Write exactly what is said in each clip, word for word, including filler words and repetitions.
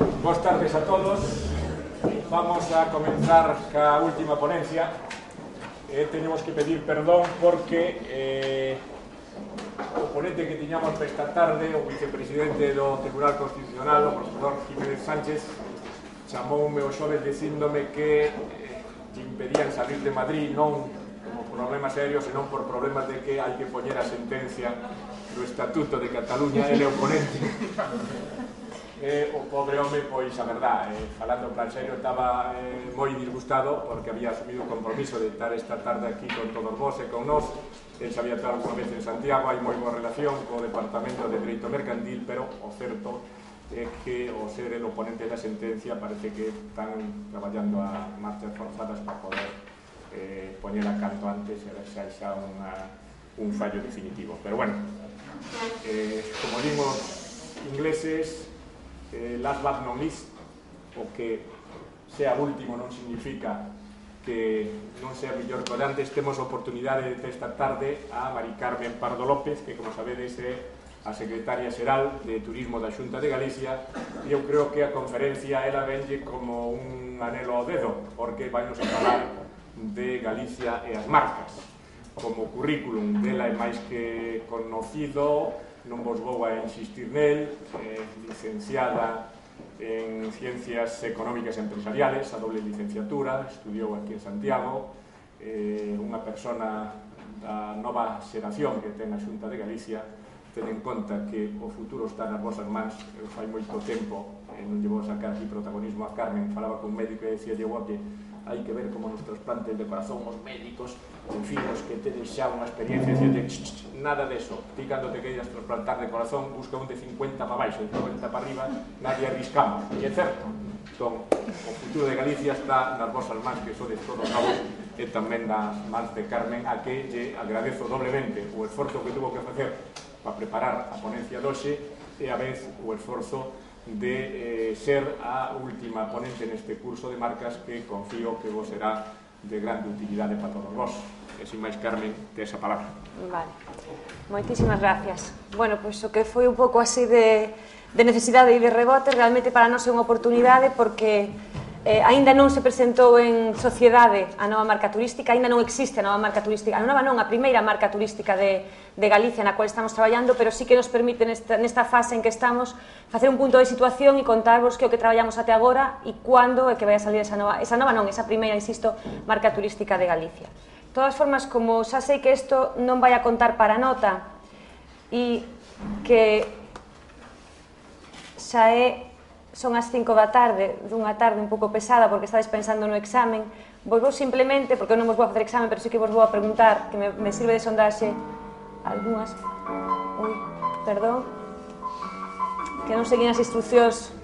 Boas tardes a todos. Vamos a comenzar ca última ponencia. Eh, tenemos que pedir perdón porque eh, o ponente que tiñamos esta tarde, o vicepresidente do Tribunal Constitucional, o profesor Jiménez Sánchez, chamoume o xoves dicíndome que eh, impedían salir de Madrid non como problema serio, senón por problemas de que hai que poñer a sentencia do Estatuto de Cataluña. Ele é o ponente. Eh, o pobre home, pois, a verdad, eh, falando en plan serio, estaba eh, moi disgustado porque había asumido o compromiso de estar esta tarde aquí con todos vos e con nós. El xa había estado unha vez en Santiago, hai moi boa relación co Departamento de Dereito Mercantil, pero o certo é que o ser el oponente da sentencia parece que están traballando a marchas forzadas para poder eh, poñela canto antes e xa xa unha, un fallo definitivo. Pero bueno, eh, como dimos ingleses, Eh, last but not least, o que sea último non significa que non sea mellor que antes. Temos a oportunidade de esta tarde a Mari Carmen Pardo López, que, como sabedes, é a secretaria xeral de Turismo da Xunta de Galicia, e eu creo que a conferencia ela venlle como un anelo ao dedo, porque vamos a falar de Galicia e as marcas. Como currículum dela é máis que conocido, non vos vou a insistir nel, eh, licenciada en Ciencias Económicas e Empresariales, a doble licenciatura, estudiou aquí en Santiago, eh, unha persona da nova xeración que ten a Xunta de Galicia. Ten en conta que o futuro está nas vosas mans. Eu fai moito tempo, eh, non lle vou sacar aquí protagonismo a Carmen, falaba con un médico e decía, llevo que hai que ver como nos trasplantes de corazón os médicos, en fin, os que tedes xa unha experiencia, de ch, ch, nada deso. Ti cando te queiras trasplantar de corazón, busca un de cincuenta para baixo, de noventa para arriba, nadie arriscamos, e é certo. Entón, o futuro de Galicia está nas vosas mans, que sodes todos novos, e tamén nas mans de Carmen, a que lle agradezo doblemente o esforzo que tuvo que facer para preparar a ponencia doxe, e a vez o esforzo de eh, ser a última ponente neste curso de marcas, que confío que vos será de grande utilidade para todos vos. E sin máis, Carmen, te esa palabra. Vale, moitísimas gracias. Bueno, pois o que foi un pouco así de, de necesidade e de rebote, realmente para nós é unha oportunidade, porque eh, aínda non se presentou en sociedade a nova marca turística, aínda non existe a nova marca turística, a nova non, a primeira marca turística de, de Galicia na cual estamos traballando, pero sí que nos permite nesta, nesta fase en que estamos facer un punto de situación e contarvos que o que traballamos até agora e cando é que vai a salir esa nova, esa nova non, esa primeira, insisto, marca turística de Galicia. De todas formas, como xa sei que isto non vai a contar para nota e que xa é son as cinco da tarde, dunha tarde un pouco pesada porque estades pensando no examen, vos vou simplemente, porque eu non vos vou a facer examen, pero sí que vos vou a preguntar, que me, me sirve de sondaxe algunhas, ui, perdón, que non seguín as instruccións,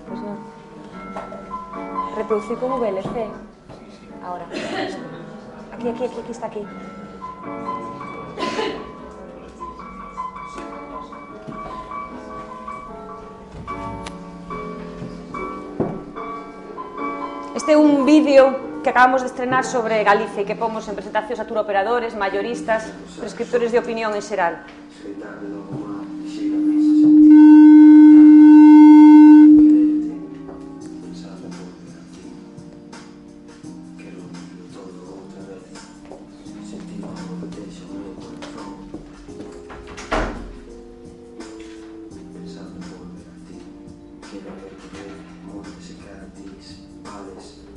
pois non, reproducir como V L C, ahora, aquí, aquí, aquí, aquí está aquí. Este é un vídeo que acabamos de estrenar sobre Galicia e que pomos en presentacións a turoperadores, mayoristas, prescriptores de opinión en xeral.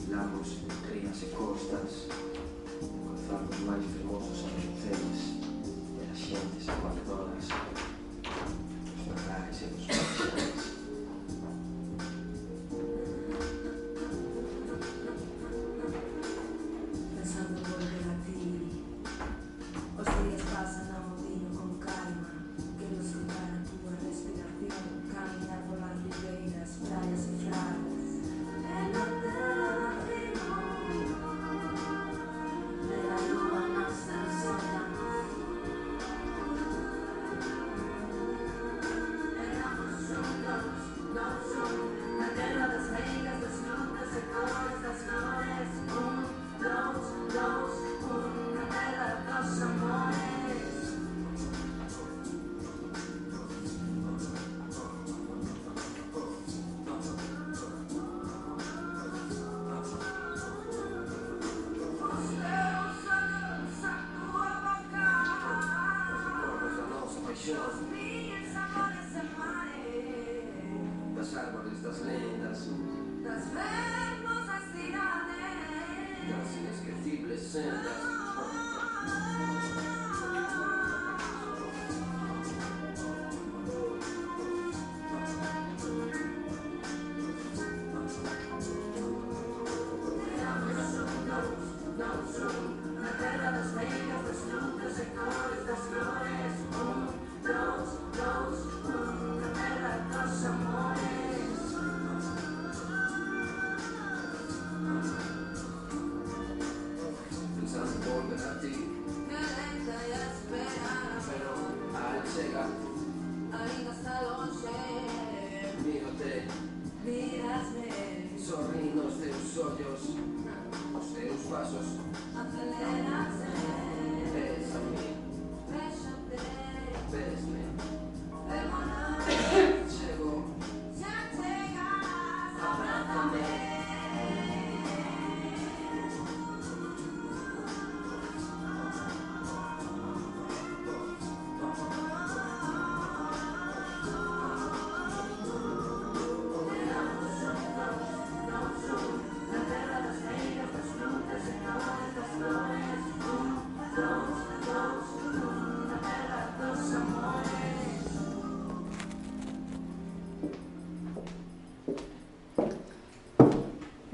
Lagos, rías e costas, cruzar os máis fermosos arranceles e as xentes a cual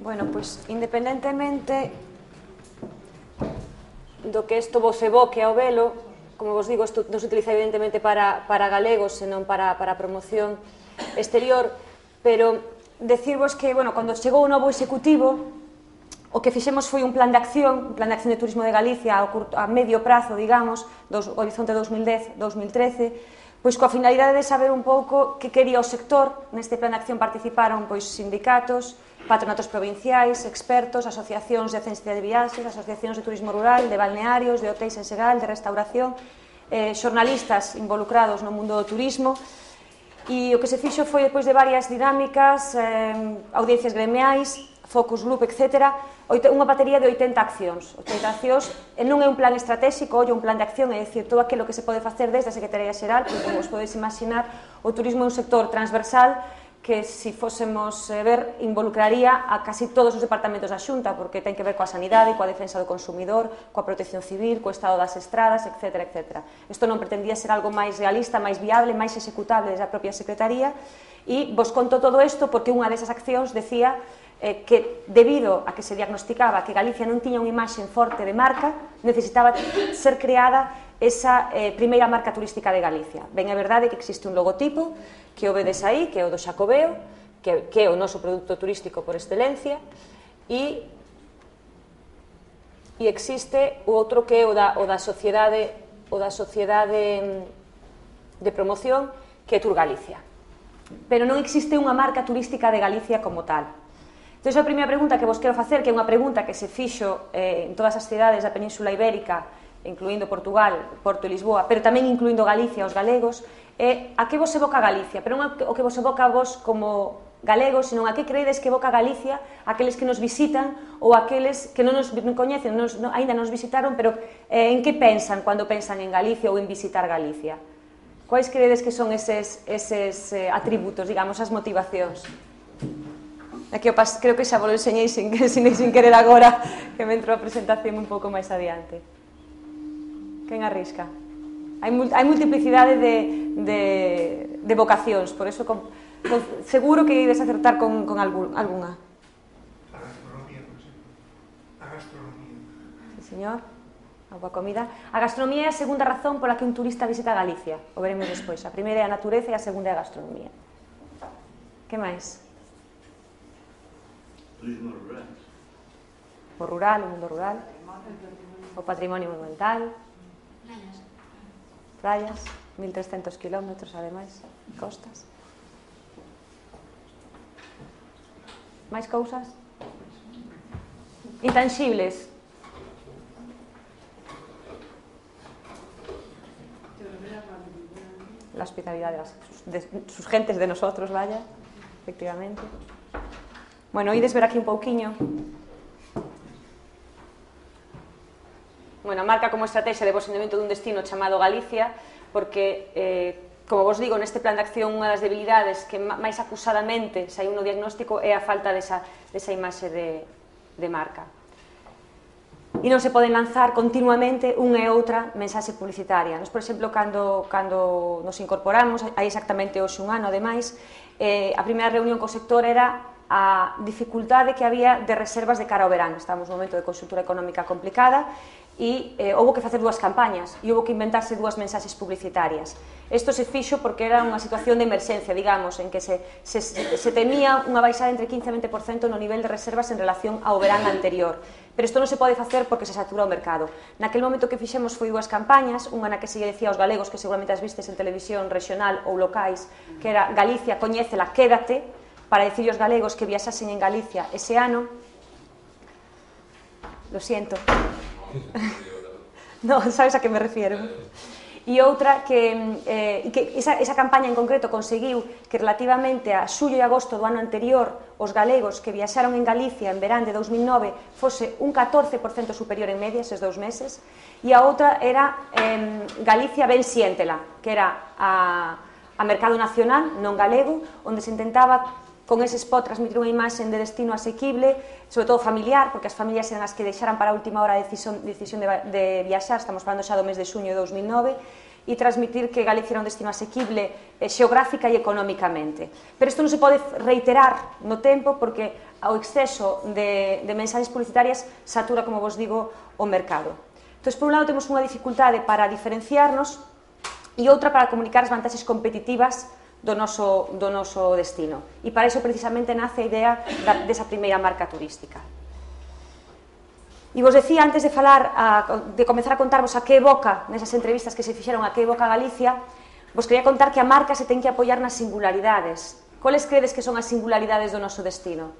Bueno, pois, independentemente do que isto vos evoque ao velo, como vos digo, isto non se utiliza evidentemente para, para galegos, senón para, para promoción exterior, pero decirvos que, bueno, cando chegou o novo executivo, o que fixemos foi un plan de acción, un plan de acción de turismo de Galicia a, curto, a medio prazo, digamos, dos, horizonte dos mil dez a dos mil trece, pois coa finalidade de saber un pouco que quería o sector. Neste plan de acción participaron pois sindicatos, patronatos provinciais, expertos, asociacións de agencia de viaxes, asociacións de turismo rural, de balnearios, de hotéis en Segal, de restauración, eh, xornalistas involucrados no mundo do turismo, e o que se fixo foi, depois de varias dinámicas, eh, audiencias gremiais, focus group, etcétera, unha batería de oitenta accións. oitenta accións, e non é un plan estratégico, é un plan de acción, é dicir, todo aquilo que se pode facer desde a Secretaría Xeral, porque, como vos podedes imaginar, o turismo é un sector transversal que, se fósemos ver, involucraría a casi todos os departamentos da Xunta, porque ten que ver coa sanidade, coa defensa do consumidor, coa protección civil, co estado das estradas, etcétera, etcétera. Isto non pretendía ser algo máis realista, máis viable, máis executable desde a propia Secretaría, e vos conto todo isto porque unha desas accións decía eh, que, debido a que se diagnosticaba que Galicia non tiña unha imaxe forte de marca, necesitaba ser creada esa eh, primeira marca turística de Galicia. Ben, é verdade que existe un logotipo que o vedes aí, que é o do Xacobeo, que, que é o noso produto turístico por excelencia, e, e existe o outro que é o da, o da sociedade, o da sociedade de promoción, que é Tour Galicia. Pero non existe unha marca turística de Galicia como tal. Entón, a primeira pregunta que vos quero facer, que é unha pregunta que se fixo eh, en todas as cidades da Península Ibérica, incluindo Portugal, Porto e Lisboa, pero tamén incluindo Galicia, os galegos, é a que vos evoca Galicia, pero non o que vos evoca a vos como galegos, senón a que creedes que evoca Galicia aqueles que nos visitan ou aqueles que non nos coñecen, nos, no, ainda nos visitaron, pero eh, en que pensan cando pensan en Galicia ou en visitar Galicia? Quais creedes que son eses, eses eh, atributos, digamos, as motivacións? Aquí eu pas, creo que xa vos lo enseñei sin, sin, sin querer agora, que me entrou a presentación un pouco máis adiante. Quen arrisca? Hai, hai multiplicidade de, de, de vocacións, por eso con, con, seguro que ides acertar con, con algún, alguna. A gastronomía, por exemplo. A gastronomía. Sí, señor. A boa comida. A gastronomía é a segunda razón pola que un turista visita Galicia. O veremos despois. A primeira é a natureza e a segunda é a gastronomía. Que máis? Turismo rural. O rural, o mundo rural. O patrimonio monumental. Playas, mil trescentos kilómetros, ademais, costas. Máis cousas? Intangibles. La hospitalidad de, las, de sus gentes, de nosotros, vaya, efectivamente. Bueno, ides ver aquí un pouquiño. Bueno, marca como estrategia de posicionamento dun destino chamado Galicia, porque, eh, como vos digo, neste plan de acción unha das debilidades que máis acusadamente saiu no diagnóstico é a falta desa, desa imaxe de, de marca. e non se poden lanzar continuamente unha e outra mensaxe publicitaria. Nos, por exemplo, cando, cando nos incorporamos, hai exactamente hoxe un ano, ademais, eh, a primeira reunión co sector era a dificultade que había de reservas de cara ao verán. Estamos nun momento de conxuntura económica complicada e eh, houve que facer dúas campañas e houve que inventarse dúas mensaxes publicitarias. Isto se fixo porque era unha situación de emerxencia, digamos, en que se, se, se temía unha baixada entre quince e vinte por cento no nivel de reservas en relación ao verán anterior. Pero isto non se pode facer porque se satura o mercado. Naquel momento que fixemos foi dúas campañas, unha na que se lle decía aos galegos, que seguramente as vistes en televisión regional ou locais, que era Galicia, coñécela, quédate, para decirle aos galegos que viaxasen en Galicia ese ano. Lo siento. No, sabes a que me refiero. E outra que, eh, que esa, esa campaña en concreto conseguiu que relativamente a xullo e agosto do ano anterior os galegos que viaxaron en Galicia en verán de dous mil nove fose un catorce por cento superior en media eses dous meses, e a outra era eh, Galicia ben siéntela, que era a, a mercado nacional, non galego, onde se intentaba con ese spot transmitir unha imaxe de destino asequible, sobre todo familiar, porque as familias eran as que deixaran para a última hora a decisión, decisión de, de viaxar, estamos falando xa do mes de xuño de dous mil nove, e transmitir que Galicia era un destino asequible eh, xeográfica e económicamente. Pero isto non se pode reiterar no tempo porque ao exceso de, de mensaxes publicitarias satura, como vos digo, o mercado. Entón, por un lado, temos unha dificultade para diferenciarnos e outra para comunicar as vantaxes competitivas do noso, do noso destino. E para iso precisamente nace a idea da, desa primeira marca turística. E vos decía, antes de falar, a, de comezar a contarvos a que evoca, nesas entrevistas que se fixeron, a que evoca Galicia, vos quería contar que a marca se ten que apoiar nas singularidades. Coles credes que son as singularidades do noso destino?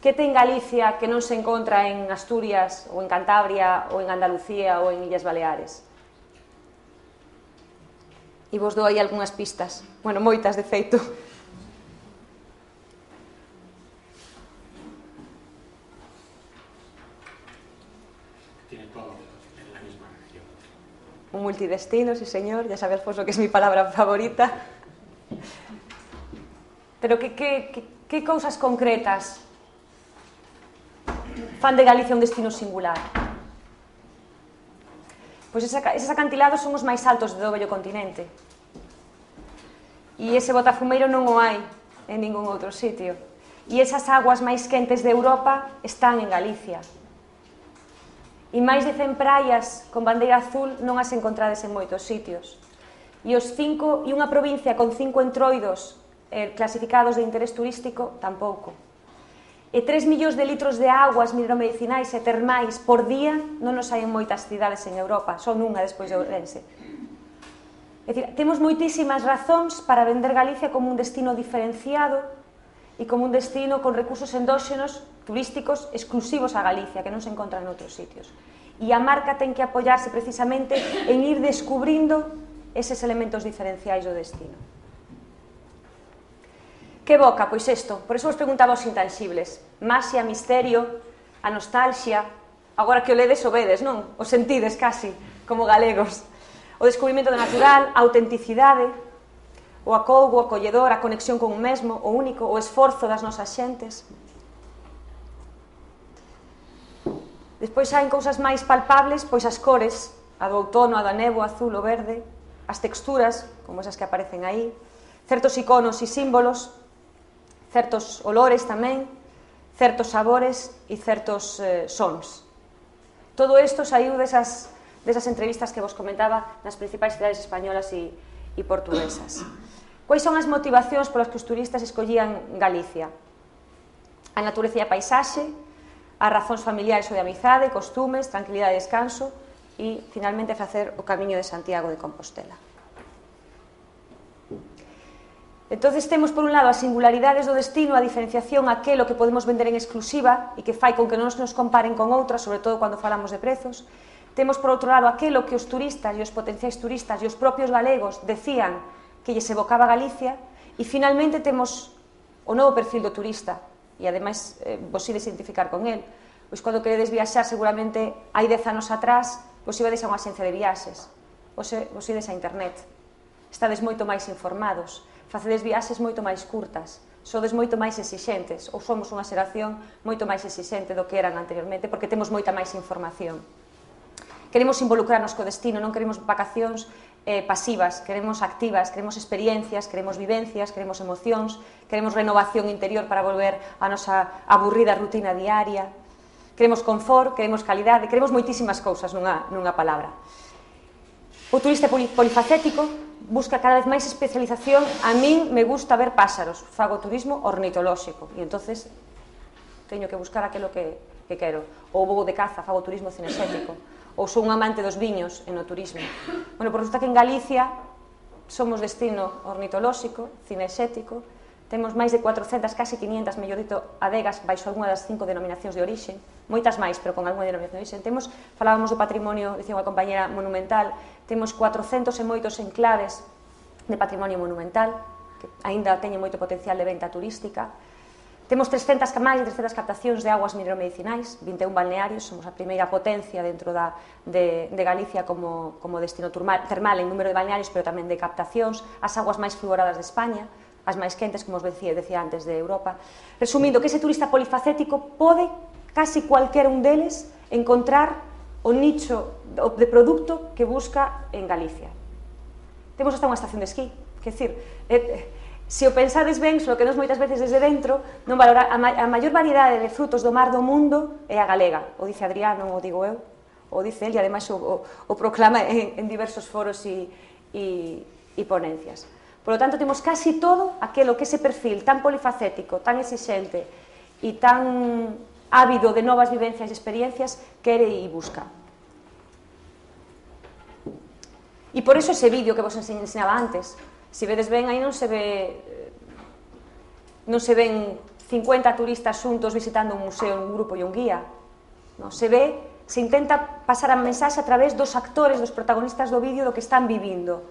Que ten Galicia que non se encontra en Asturias, ou en Cantabria, ou en Andalucía, ou en Illas Baleares? E vos dou aí algunhas pistas, bueno, moitas de feito. Tiene todo en la misma región. Un multidestino, sí señor, ya sabes pues lo que es mi palabra favorita. Pero que, que, que, que cousas concretas fan de Galicia un destino singular? Pois eses acantilados son os máis altos do vello continente. E ese botafumeiro non o hai en ningún outro sitio. E esas aguas máis quentes de Europa están en Galicia. E máis de cen praias con bandeira azul non as encontrades en moitos sitios. E os cinco, e unha provincia con cinco entroidos eh, clasificados de interés turístico, tampouco. E tres millóns de litros de aguas mineromedicinais e termais por día non nos hai en moitas cidades en Europa, son unha despois de Ourense. É dicir, temos moitísimas razóns para vender Galicia como un destino diferenciado e como un destino con recursos endóxenos turísticos exclusivos a Galicia, que non se encontran en outros sitios. E a marca ten que apoiarse precisamente en ir descubrindo eses elementos diferenciais do destino. Que evoca? Pois isto, por iso vos preguntaba os intangibles. Maxia, misterio, a nostalgia, agora que o ledes o vedes, non? O sentides casi, como galegos. O descubrimento do natural, a autenticidade, o acougo, o acolledor, a conexión con o mesmo, o único, o esforzo das nosas xentes. Despois hai cousas máis palpables, pois as cores, a do outono, a da néboa, azul, o verde, as texturas, como esas que aparecen aí, certos iconos e símbolos, certos olores tamén, certos sabores e certos eh, sons. Todo isto saiu desas, desas entrevistas que vos comentaba nas principais cidades españolas e, e portuguesas. Quais son as motivacións polas que os turistas escollían Galicia? A natureza e a paisaxe, as razóns familiares ou de amizade, costumes, tranquilidade e descanso e, finalmente, facer o Camiño de Santiago de Compostela. Entón, temos, por un lado, as singularidades do destino, a diferenciación, aquelo que podemos vender en exclusiva e que fai con que non nos comparen con outras, sobre todo cando falamos de prezos. Temos, por outro lado, aquelo que os turistas e os potenciais turistas e os propios galegos decían que lles evocaba Galicia. E, finalmente, temos o novo perfil do turista, e, ademais, eh, vos ides identificar con el. Pois, cando queredes viaxar, seguramente, hai dez anos atrás, vos ibades a unha axencia de viaxes, vos ides a internet. Estades moito máis informados. Facedes viaxes moito máis curtas, sodes moito máis exixentes, ou somos unha xeración moito máis exixente do que eran anteriormente, porque temos moita máis información. Queremos involucrarnos co destino, non queremos vacacións eh, pasivas, queremos activas, queremos experiencias, queremos vivencias, queremos emocións, queremos renovación interior para volver a nosa aburrida rutina diaria, queremos confort, queremos calidade, queremos moitísimas cousas nunha, nunha palabra. O turista polifacético busca cada vez máis especialización. A min me gusta ver páxaros, fago turismo ornitolóxico, e entonces teño que buscar aquilo que, que quero. Ou vou de caza, fago turismo cinexético, ou sou un amante dos viños e no turismo. Bueno, por resulta que en Galicia somos destino ornitolóxico, cinexético, temos máis de cuatrocentas, casi quinientas, mellor dito, adegas baixo algunha das cinco denominacións de orixe, moitas máis, pero con algunha denominación de orixe. Temos, falábamos do patrimonio, dicía unha compañera, monumental, temos cuatrocentos e moitos enclaves de patrimonio monumental, que aínda teñen moito potencial de venta turística. Temos trescentas, máis de trescentas captacións de aguas mineromedicinais, vinte e un balnearios, somos a primeira potencia dentro da, de, de Galicia como, como destino termal, termal en número de balnearios, pero tamén de captacións, as aguas máis fluoradas de España, as máis quentes, como os decía, decía antes, de Europa. Resumindo, que ese turista polifacético pode, casi cualquer un deles, encontrar o nicho de produto que busca en Galicia. Temos hasta unha estación de esquí, que decir, eh, se o pensades ben, só que nos moitas veces desde dentro, non valora, a, ma a maior variedade de frutos do mar do mundo é a galega, o dice Adrián, non o digo eu, o dice el, e ademais o, o, o proclama en, en diversos foros e, e, e ponencias. Por lo tanto, temos casi todo aquilo que ese perfil tan polifacético, tan exixente e tan ávido de novas vivencias e experiencias quere e busca. E por eso ese vídeo que vos ensinaba antes, se vedes ben, aí non se ve, non se ven cincuenta turistas xuntos visitando un museo, un grupo e un guía. Non, se ve, se intenta pasar a mensaxe a través dos actores, dos protagonistas do vídeo, do que están vivindo.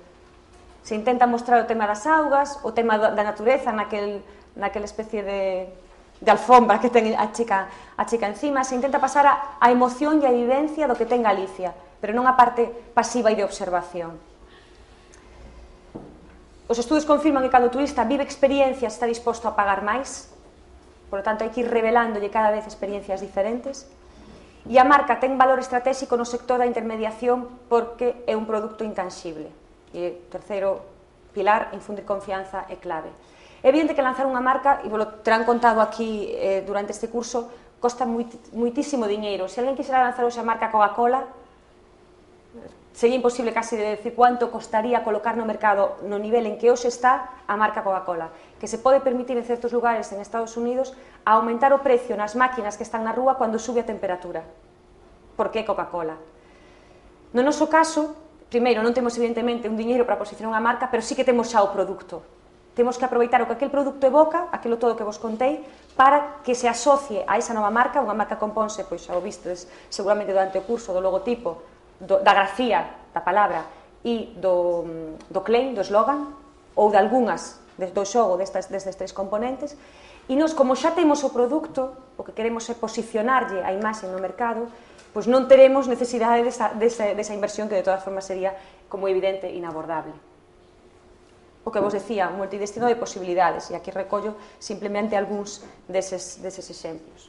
Se intenta mostrar o tema das augas, o tema da natureza, naquel, naquela especie de, de alfombra que ten a chica, a chica encima. Se intenta pasar a, a emoción e a vivencia do que ten Galicia, pero non a parte pasiva e de observación. Os estudos confirman que cando o turista vive experiencias está disposto a pagar máis, por lo tanto hai que ir revelándolle cada vez experiencias diferentes, e a marca ten valor estratégico no sector da intermediación porque é un produto intangible. E o terceiro pilar, infundir confianza, é clave. É evidente que lanzar unha marca, e vos lo terán contado aquí eh, durante este curso, costa moitísimo diñeiro. Se alguén quixera lanzar hoxe a marca Coca-Cola, sería imposible casi de decir cuánto costaría colocar no mercado no nivel en que hoxe está a marca Coca-Cola, que se pode permitir en certos lugares en Estados Unidos a aumentar o precio nas máquinas que están na rúa cando sube a temperatura. Por que Coca-Cola? No noso caso, primeiro, non temos evidentemente un diñeiro para posicionar unha marca, pero sí que temos xa o produto. Temos que aproveitar o que aquel produto evoca, aquilo todo que vos contei, para que se asocie a esa nova marca. Unha marca compónse, pois xa o vistes seguramente durante o curso, do logotipo, do, da grafía da palabra e do, do claim, do slogan, ou de algunhas do xogo destes, destes tres componentes, e nos, como xa temos o produto, o que queremos é posicionarlle a imaxe no mercado, pois non teremos necesidade desa, desa, desa inversión que de todas formas sería, como evidente, inabordable. O que vos decía, un multidestino de posibilidades, e aquí recollo simplemente algúns deses, deses exemplos.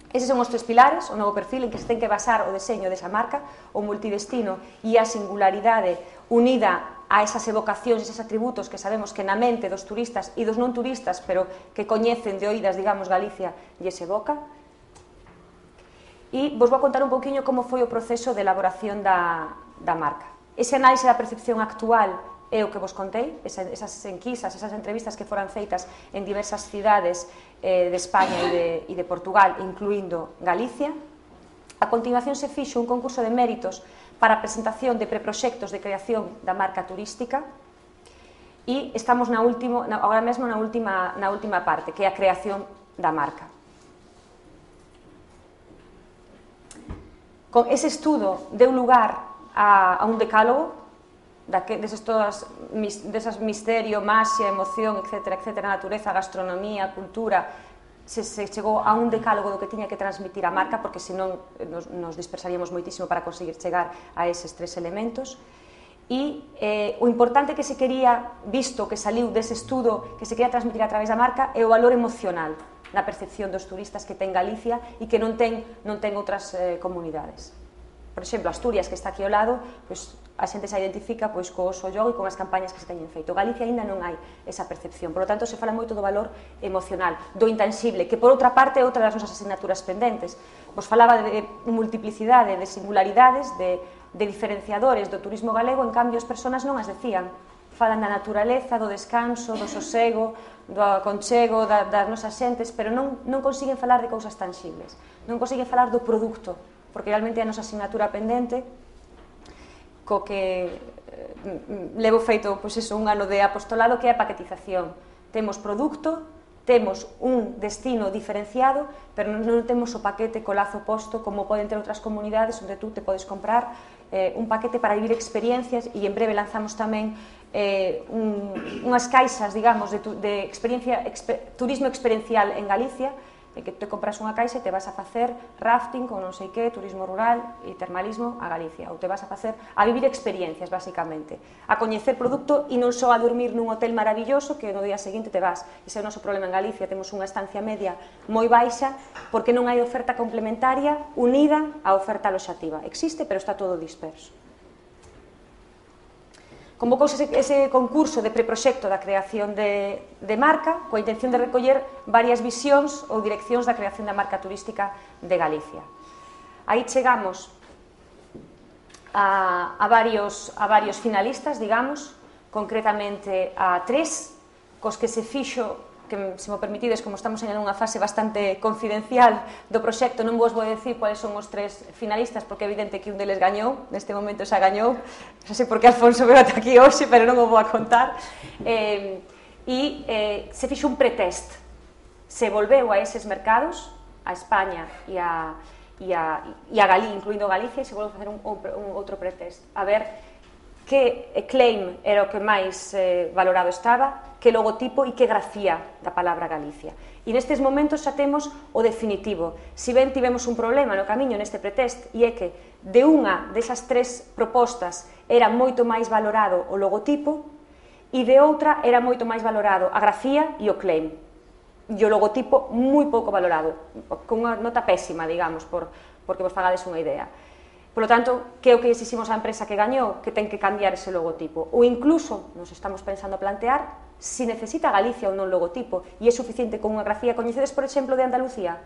Eses son os tres pilares, o novo perfil en que se ten que basar o deseño desa marca, o multidestino e a singularidade unida a esas evocacións, eses atributos que sabemos que na mente dos turistas e dos non turistas, pero que coñecen de oídas, digamos, Galicia e se evoca. E vos vou contar un pouquiño como foi o proceso de elaboración da, da marca. Ese análise da percepción actual é o que vos contei, esas enquisas, esas entrevistas que foran feitas en diversas cidades eh, de España e de, e de Portugal, incluindo Galicia. A continuación se fixo un concurso de méritos para a presentación de preproxectos de creación da marca turística e estamos na último, na, agora mesmo na última, na última parte, que é a creación da marca. Con ese estudo deu lugar a, a un decálogo desas todas, desas misterio, maxia, emoción, etcétera, etcétera, natureza, gastronomía, cultura, se, se chegou a un decálogo do que tiña que transmitir a marca, porque senón nos, nos dispersaríamos moitísimo para conseguir chegar a eses tres elementos. e eh, o importante que se quería, visto que saliu dese estudo, que se quería transmitir a través da marca, é o valor emocional na percepción dos turistas que ten Galicia e que non ten, non ten outras eh, comunidades. Por exemplo, Asturias, que está aquí ao lado, pois, a xente se identifica pois, co oso yogo e con as campañas que se teñen feito. Galicia aínda non hai esa percepción, por lo tanto se fala moito do valor emocional, do intangible, que por outra parte é outra das nosas asignaturas pendentes. Vos falaba de multiplicidade, de singularidades, de de diferenciadores do turismo galego, en cambio as persoas non as decían. Falan da naturaleza, do descanso, do sosego, do aconchego da, das nosas xentes, pero non, non consiguen falar de cousas tangibles, non consiguen falar do produto, porque realmente é a nosa asignatura pendente, co que eh, levo feito pois eso, un ano de apostolado, que é a paquetización. Temos produto, temos un destino diferenciado, pero non temos o paquete co lazo posto como poden ter outras comunidades onde tú te podes comprar eh, un paquete para vivir experiencias, e en breve lanzamos tamén eh, un, unhas caixas, digamos, de, tu, de experiencia, exper, turismo experiencial en Galicia, e que te compras unha caixa e te vas a facer rafting con non sei que, turismo rural e termalismo a Galicia, ou te vas a facer a vivir experiencias, basicamente, a coñecer produto e non só a dormir nun hotel maravilloso que no día seguinte te vas. Ese é o noso problema en Galicia, temos unha estancia media moi baixa porque non hai oferta complementaria unida á oferta aloxativa. Existe, pero está todo disperso. Convocouse ese, ese concurso de preproxecto da creación de, de marca coa intención de recoller varias visións ou direccións da creación da marca turística de Galicia. Aí chegamos a, a, varios, a varios finalistas, digamos, concretamente a tres, cos que se fixo, que se mo permitides, como estamos en unha fase bastante confidencial do proxecto, non vos vou decir cuáles son os tres finalistas, porque é evidente que un deles gañou, neste momento xa gañou, non sei por que Alfonso veo ata aquí hoxe, pero non o vou a contar, eh, e eh, se fixo un pretest, se volveu a eses mercados, a España e a, e a, e a Galí, incluindo Galicia, e se volveu a facer un, un outro pretest, a ver que claim era o que máis eh, valorado estaba, que logotipo e que grafía da palabra Galicia. E nestes momentos xa temos o definitivo. Si ben tivemos un problema no camiño neste pretest, e é que de unha desas tres propostas era moito máis valorado o logotipo e de outra era moito máis valorado a grafía e o claim. E o logotipo moi pouco valorado, con unha nota pésima, digamos, por, porque vos fagades unha idea. Por lo tanto, que é o que exiximos á empresa que gañou? Que ten que cambiar ese logotipo. Ou incluso, nos estamos pensando a plantear, si necesita Galicia ou non logotipo, e é suficiente con unha grafía. Coñecedes, por exemplo, de Andalucía?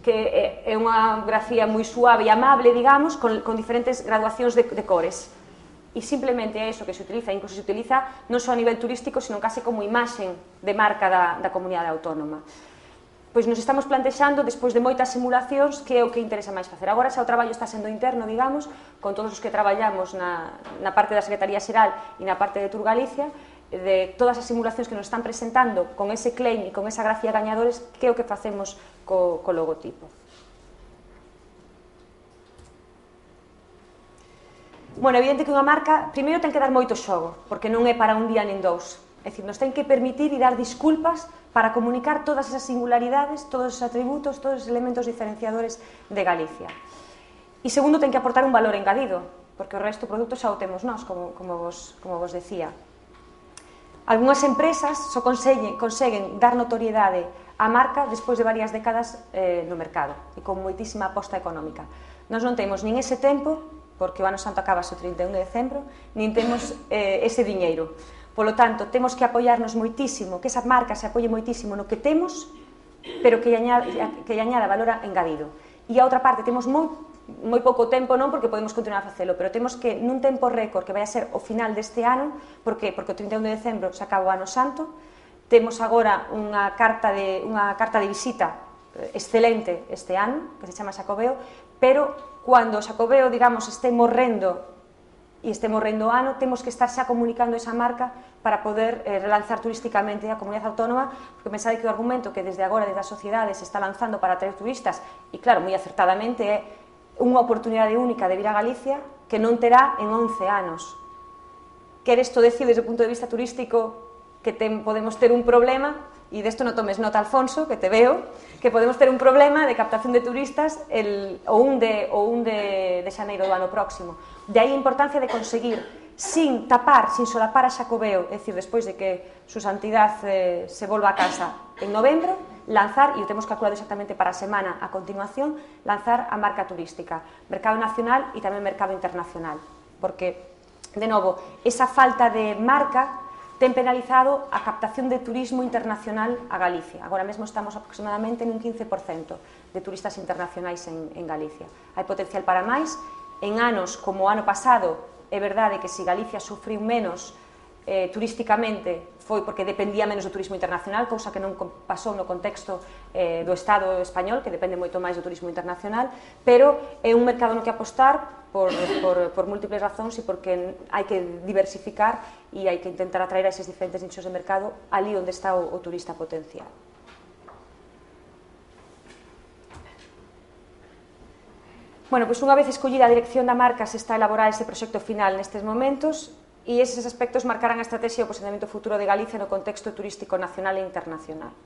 Que é unha grafía moi suave e amable, digamos, con, con diferentes graduacións de, de cores. E simplemente é iso que se utiliza, incluso se utiliza non só a nivel turístico, sino case como imaxen de marca da, da comunidade autónoma. Pois nos estamos plantexando, despois de moitas simulacións, que é o que interesa máis facer. Agora xa o traballo está sendo interno, digamos, con todos os que traballamos na, na parte da Secretaría Xeral e na parte de Tour Galicia, de todas as simulacións que nos están presentando con ese claim e con esa grafía gañadores, que é o que facemos co, co logotipo. Bueno, é evidente que unha marca, primeiro ten que dar moito xogo, porque non é para un día nin dous. É dicir, nos ten que permitir e dar disculpas para comunicar todas esas singularidades, todos os atributos, todos os elementos diferenciadores de Galicia. E segundo, ten que aportar un valor engadido, porque o resto do produto xa o temos nós, como, como, vos, como vos decía. Algúnas empresas só conseguen, conseguen dar notoriedade á marca despois de varias décadas eh, no mercado e con moitísima aposta económica. Nós non temos nin ese tempo, porque o ano santo acaba o trinta e un de decembro, nin temos eh, ese diñeiro. Polo tanto, temos que apoiarnos moitísimo, que esa marca se apoie moitísimo no que temos, pero que lle añada, que lle añada valor engadido. E a outra parte, temos moi, moi pouco tempo, non porque podemos continuar a facelo, pero temos que, nun tempo récord, que vai a ser o final deste ano, porque, porque o trinta e un de decembro se acaba o ano santo, temos agora unha carta de, unha carta de visita excelente este ano, que se chama Xacobeo, pero cando o Xacobeo, digamos, este morrendo e este morrendo o ano, temos que estar xa comunicando esa marca para poder eh, relanzar turísticamente a comunidade autónoma, porque pensade que o argumento que desde agora, desde a sociedade, se está lanzando para atraer turistas, e claro, moi acertadamente, é unha oportunidade única de vir a Galicia que non terá en once anos. Quer isto decir, desde o punto de vista turístico, que ten, podemos ter un problema, e desto non tomes nota, Alfonso, que te veo, que podemos ter un problema de captación de turistas el, o un, de, o un de, de xaneiro do ano próximo. De aí a importancia de conseguir, sin tapar, sin solapar a Xacobeo, é dicir, despois de que su santidad eh, se volva a casa en novembro, lanzar, e o temos calculado exactamente para a semana a continuación, lanzar a marca turística, mercado nacional e tamén mercado internacional, porque, de novo, esa falta de marca ten penalizado a captación de turismo internacional a Galicia. Agora mesmo estamos aproximadamente nun quince por cento de turistas internacionais en, en Galicia. Hai potencial para máis. En anos como o ano pasado, é verdade que se Galicia sufriu menos eh, turísticamente foi porque dependía menos do turismo internacional, cousa que non pasou no contexto eh, do Estado español, que depende moito máis do turismo internacional, pero é un mercado no que apostar por, por, por múltiples razóns e porque hai que diversificar e hai que intentar atraer a eses diferentes nichos de mercado ali onde está o, o turista potencial. Bueno, pois unha vez escollida a dirección da marca se está a elaborar ese proxecto final nestes momentos e eses aspectos marcarán a estrategia e o posicionamento futuro de Galicia no contexto turístico nacional e internacional.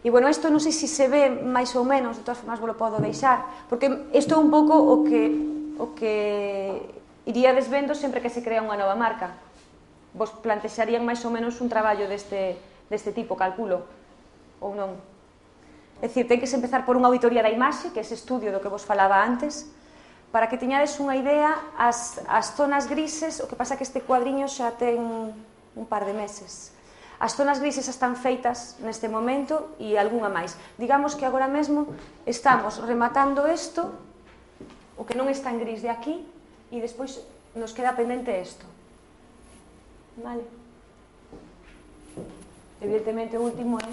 E, bueno, isto non sei se se ve máis ou menos, de todas formas vos lo podo deixar, porque isto é un pouco o que, o que iría desvendo sempre que se crea unha nova marca. Vos plantexarían máis ou menos un traballo deste, deste tipo, calculo, ou non? É dicir, ten que se empezar por unha auditoría da imaxe, que é ese estudio do que vos falaba antes, para que teñades unha idea, as, as zonas grises, o que pasa que este cuadriño xa ten un par de meses. As zonas grises están feitas neste momento e algunha máis. Digamos que agora mesmo estamos rematando isto, o que non está en gris de aquí, e despois nos queda pendente isto. Vale? Evidentemente o último é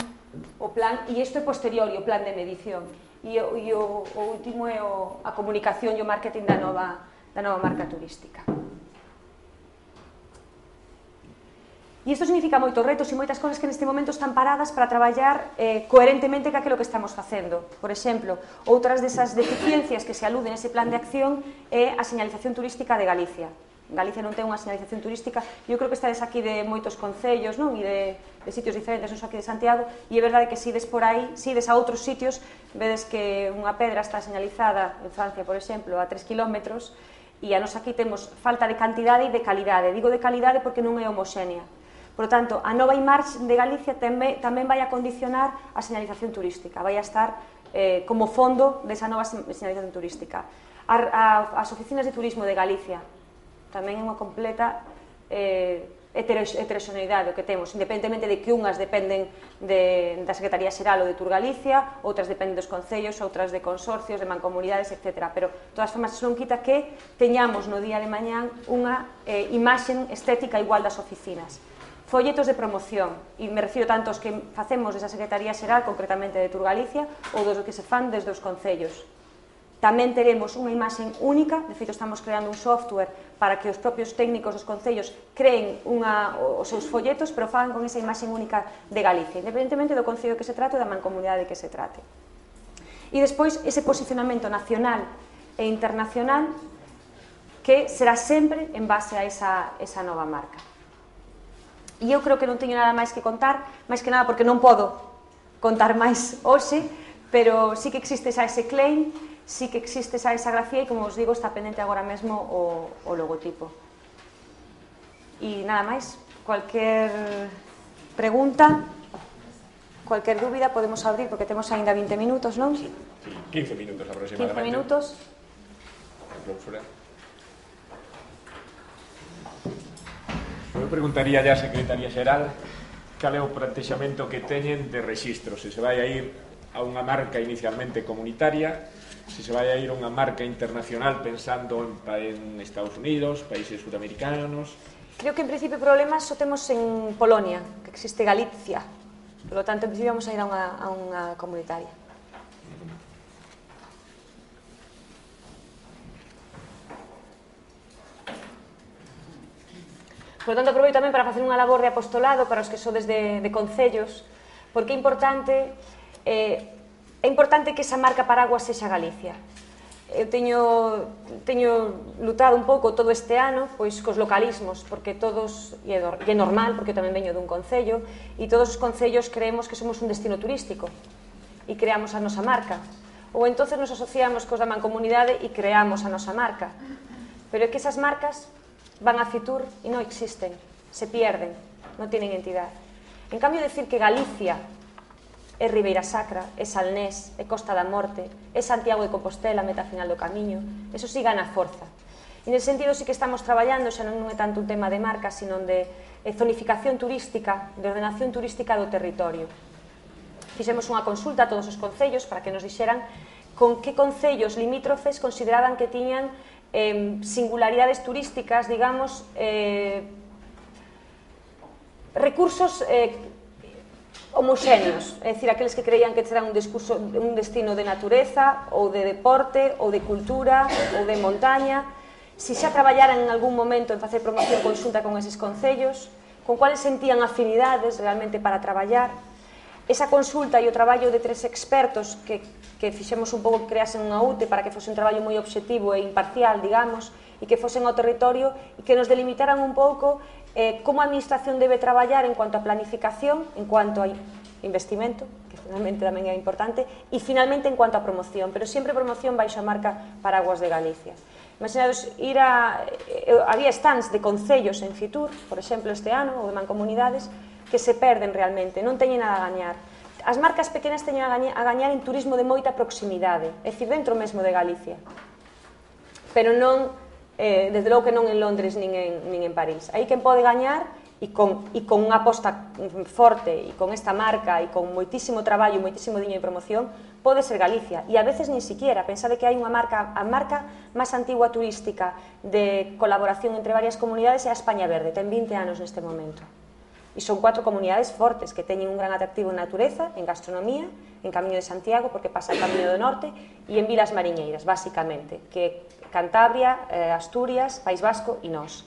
o plan, e isto é posterior, o plan de medición. E o, e o, o último é o, a comunicación e o marketing da nova, da nova marca turística. E isto significa moitos retos e moitas cousas que neste momento están paradas para traballar eh, coherentemente ca aquilo que estamos facendo. Por exemplo, outras desas deficiencias que se aluden nese plan de acción é a señalización turística de Galicia. Galicia non ten unha señalización turística, e eu creo que estades aquí de moitos concellos, non? E de, de sitios diferentes, non só aquí de Santiago, e é verdade que se ides por aí, se ides a outros sitios, vedes que unha pedra está señalizada, en Francia, por exemplo, a tres kilómetros, e a nos aquí temos falta de cantidade e de calidade. Digo de calidade porque non é homoxénea. Por lo tanto, a nova imaxe de Galicia tamén, tamén vai a condicionar a señalización turística, vai a estar eh, como fondo desa nova señalización turística. A, a, as oficinas de turismo de Galicia tamén é unha completa eh, heteroxeneidade o que temos, independentemente de que unhas dependen de, da Secretaría Xeral ou de Tour Galicia, outras dependen dos concellos, outras de consorcios, de mancomunidades, etcétera. Pero, de todas formas, non quita que teñamos no día de mañán unha eh, imaxe estética igual das oficinas. Folletos de promoción, e me refiro tanto aos que facemos desa Secretaría Xeral, concretamente de Tour Galicia, ou dos que se fan desde os concellos. Tamén teremos unha imaxe única, de feito estamos creando un software para que os propios técnicos dos concellos creen unha, os seus folletos, pero fagan con esa imaxe única de Galicia, independentemente do concello que se trate ou da mancomunidade que se trate. E despois, ese posicionamento nacional e internacional que será sempre en base a esa, esa nova marca. E eu creo que non teño nada máis que contar, máis que nada porque non podo contar máis hoxe, pero sí que existe xa ese claim, sí que existe xa esa grafía e, como os digo, está pendente agora mesmo o, o logotipo. E nada máis, cualquier pregunta, cualquier dúbida podemos abrir, porque temos aínda vinte minutos, non? Sí, sí, quince minutos aproximadamente. quince minutos. Eu preguntaría ya a Secretaría Xeral cal é o plantexamento que teñen de rexistro, se se vai a ir a unha marca inicialmente comunitaria, se se vai a ir a unha marca internacional pensando en, en Estados Unidos, países sudamericanos. Creo que en principio problemas só temos en Polonia, que existe Galicia, por lo tanto en principio vamos a ir a unha, a unha comunitaria. Por lo tanto, aproveito tamén para facer unha labor de apostolado para os que sodes de, de concellos, porque é importante, eh, é importante que esa marca paraguas sexa Galicia. eu teño, teño lutado un pouco todo este ano pois cos localismos, porque todos, e é, é normal, porque eu tamén veño dun concello, e todos os concellos creemos que somos un destino turístico e creamos a nosa marca, ou entonces nos asociamos cos da mancomunidade e creamos a nosa marca, pero é que esas marcas van a Fitur e non existen, se pierden, non tienen entidade. En cambio, decir que Galicia é Ribeira Sacra, é Salnés, é Costa da Morte, é Santiago de Compostela, meta final do camiño, eso sí gana forza. E nese sentido sí que estamos traballando, xa non é tanto un tema de marca, sino de zonificación turística, de ordenación turística do territorio. Fixemos unha consulta a todos os concellos para que nos dixeran con que concellos limítrofes consideraban que tiñan eh, singularidades turísticas, digamos, eh, recursos eh, homoxéneos, é dicir, aqueles que creían que será un, discurso, un destino de natureza ou de deporte ou de cultura ou de montaña, si xa traballaran en algún momento en facer promoción conxunta con eses concellos, con cuales sentían afinidades realmente para traballar. Esa consulta e o traballo de tres expertos que, que fixemos un pouco que creasen unha U T E para que fose un traballo moi obxectivo e imparcial, digamos, e que fosen ao territorio e que nos delimitaran un pouco eh, como a administración debe traballar en cuanto a planificación, en cuanto a investimento, que finalmente tamén é importante, e finalmente en cuanto a promoción, pero sempre promoción baixo a marca Paraguas de Galicia. Imaginados, ir a... Eh, había stands de concellos en Fitur, por exemplo, este ano, ou de mancomunidades, que se perden realmente, non teñen nada a gañar. As marcas pequenas teñen a gañar, a gañar en turismo de moita proximidade, é dicir, dentro mesmo de Galicia. Pero non, eh, desde logo que non en Londres nin en, nin en París. Aí quen pode gañar, e con, e con unha aposta forte, e con esta marca, e con moitísimo traballo, moitísimo diño de promoción, pode ser Galicia. E a veces nin siquiera, pensade que hai unha marca, a marca máis antigua turística de colaboración entre varias comunidades é a España Verde, ten vinte anos neste momento. E son cuatro comunidades fortes que teñen un gran atractivo en natureza, en gastronomía, en Camiño de Santiago, porque pasa el Camiño do Norte, e en Vilas Mariñeiras, basicamente, que Cantabria, eh, Asturias, País Vasco e nós.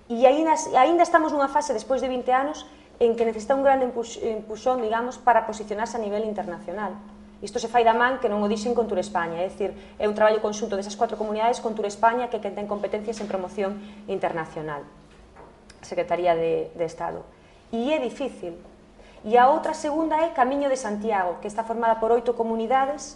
E ainda, ainda estamos nunha fase, despois de vinte anos, en que necesita un grande empuxón, digamos, para posicionarse a nivel internacional. Isto se fai da man que non o dixen con Tour España, é dicir, é un traballo conxunto desas cuatro comunidades con Tour España que ten competencias en promoción internacional, Secretaría de, de Estado. E é difícil. E a outra segunda é Camiño de Santiago, que está formada por oito comunidades,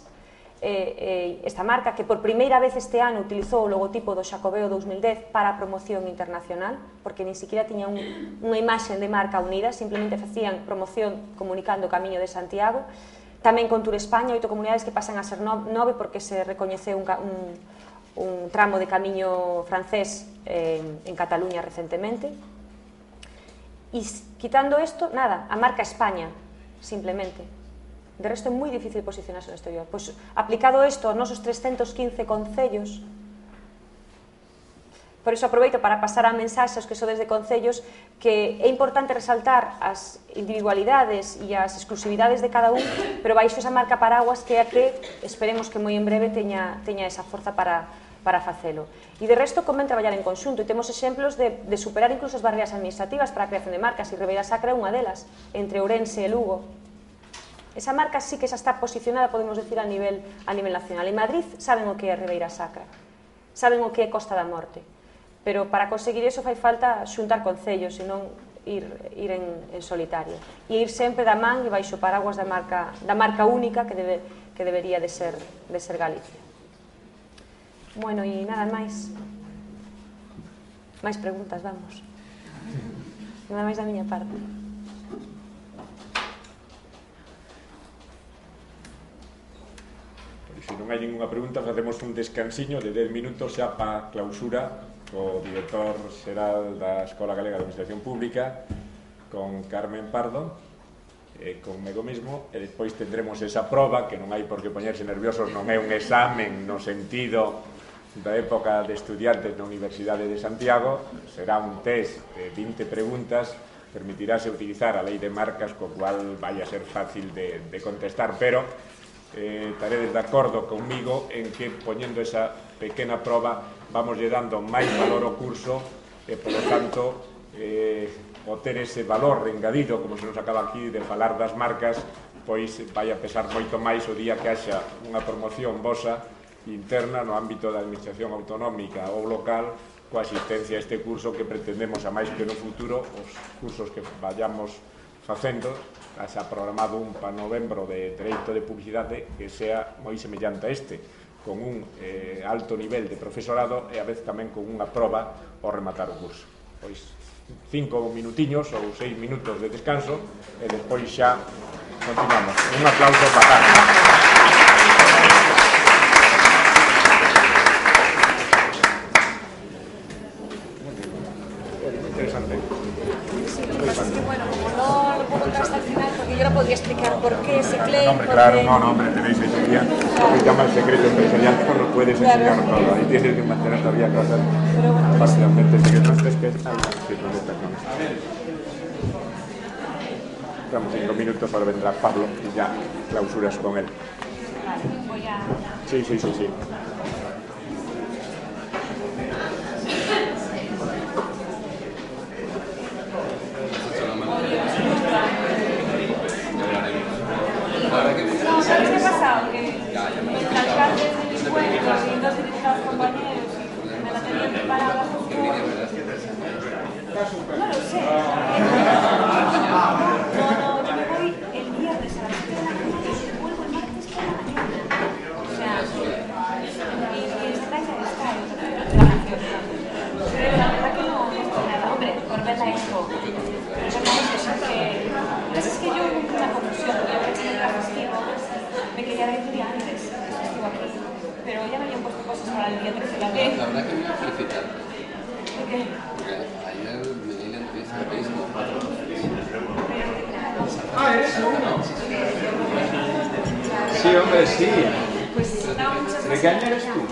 eh, eh, esta marca que por primeira vez este ano utilizou o logotipo do Xacobeo dous mil dez para a promoción internacional, porque nin siquiera tiña un, unha imaxe de marca unida, simplemente facían promoción comunicando o Camiño de Santiago. Tamén con Tour España, oito comunidades que pasan a ser nove porque se recoñeceu un, un, un tramo de camiño francés eh, en Cataluña recentemente. E quitando isto, nada, a marca España, simplemente. De resto é moi difícil posicionarse no exterior. Pois, aplicado isto aos nosos trescentos quince concellos, por iso aproveito para pasar a mensaxe aos que sodes de concellos que é importante resaltar as individualidades e as exclusividades de cada un, pero baixo esa marca Paraguas que é a que esperemos que moi en breve teña, teña esa forza para para facelo. E de resto convén traballar en conxunto e temos exemplos de, de superar incluso as barreras administrativas para a creación de marcas e Ribeira Sacra é unha delas, entre Ourense e Lugo. Esa marca sí que xa está posicionada, podemos decir, a nivel, a nivel nacional. En Madrid saben o que é Ribeira Sacra, saben o que é Costa da Morte, pero para conseguir iso fai falta xuntar concellos e non ir, ir en, en solitario. E ir sempre da man e baixo paraguas da marca, da marca única que, debe, que debería de ser, de ser Galicia. Bueno, e nada máis. Máis preguntas, vamos. Nada máis da miña parte. Se non hai ninguna pregunta, facemos un descansiño de dez minutos xa para clausura co director xeral da Escola Galega de Administración Pública, con Carmen Pardo, e conmigo mesmo, e despois tendremos esa proba, que non hai por que poñerse nerviosos, non é un examen no sentido da época de estudiantes na Universidade de Santiago, será un test de vinte preguntas, permitirase utilizar a lei de marcas, co cual vai a ser fácil de, de contestar, pero eh, estaredes de acordo comigo en que poñendo esa pequena proba vamos lle dando máis valor ao curso e, polo tanto, eh, o ter ese valor engadido, como se nos acaba aquí de falar das marcas, pois vai a pesar moito máis o día que haxa unha promoción vosa interna no ámbito da administración autonómica ou local coa asistencia a este curso que pretendemos, a máis que no futuro, os cursos que vayamos facendo, se ha programado un para novembro de Dereito de Publicidade que sea moi semellante a este, con un eh, alto nivel de profesorado e a vez tamén con unha proba ao rematar o curso. Pois cinco minutiños ou seis minutos de descanso e despois xa continuamos. Un aplauso para Carlos. Interesante. Sí, lo que pasa es que, bueno, como no lo puedo contar hasta el final, porque yo no podría explicar por qué ese claim. No, hombre, claro, no, no, hombre, tenéis ese día. Lo que llama el secreto empresarial, no lo puedes enseñar todo. Ahí tienes que mantener todavía cosas parcialmente secretas. Es que hay Damos cinco minutos, ahora vendrá Pablo y ya clausuras con él. Vale, voy a... Sí, sí, sí, sí. ¿Sabes qué ha pasado? Que el alcalde de mi pueblo y dos dirigidos compañeros me la tenían preparada justo... No lo sé. No, no, yo me voy el viernes a las siete de la mañana y vuelvo el martes por la mañana. O sea, y, y está ya está, la canción. Pero la verdad que no, no estoy nada. Hombre, por ver la expo. Pero no es eso, que... Es que yo cumplo una confusión, yo que estoy en el festivo, me quería ver el día antes, el festivo aquí. Pero ya me habían puesto cosas para el día trece de abril. La verdad que me voy a felicitar. ¿Por qué? Porque ayer me di la entrevista de Facebook. Ah, ¿eres tú? Sí, hombre, sí. Pues no, muchas ¿De qué año eres tú?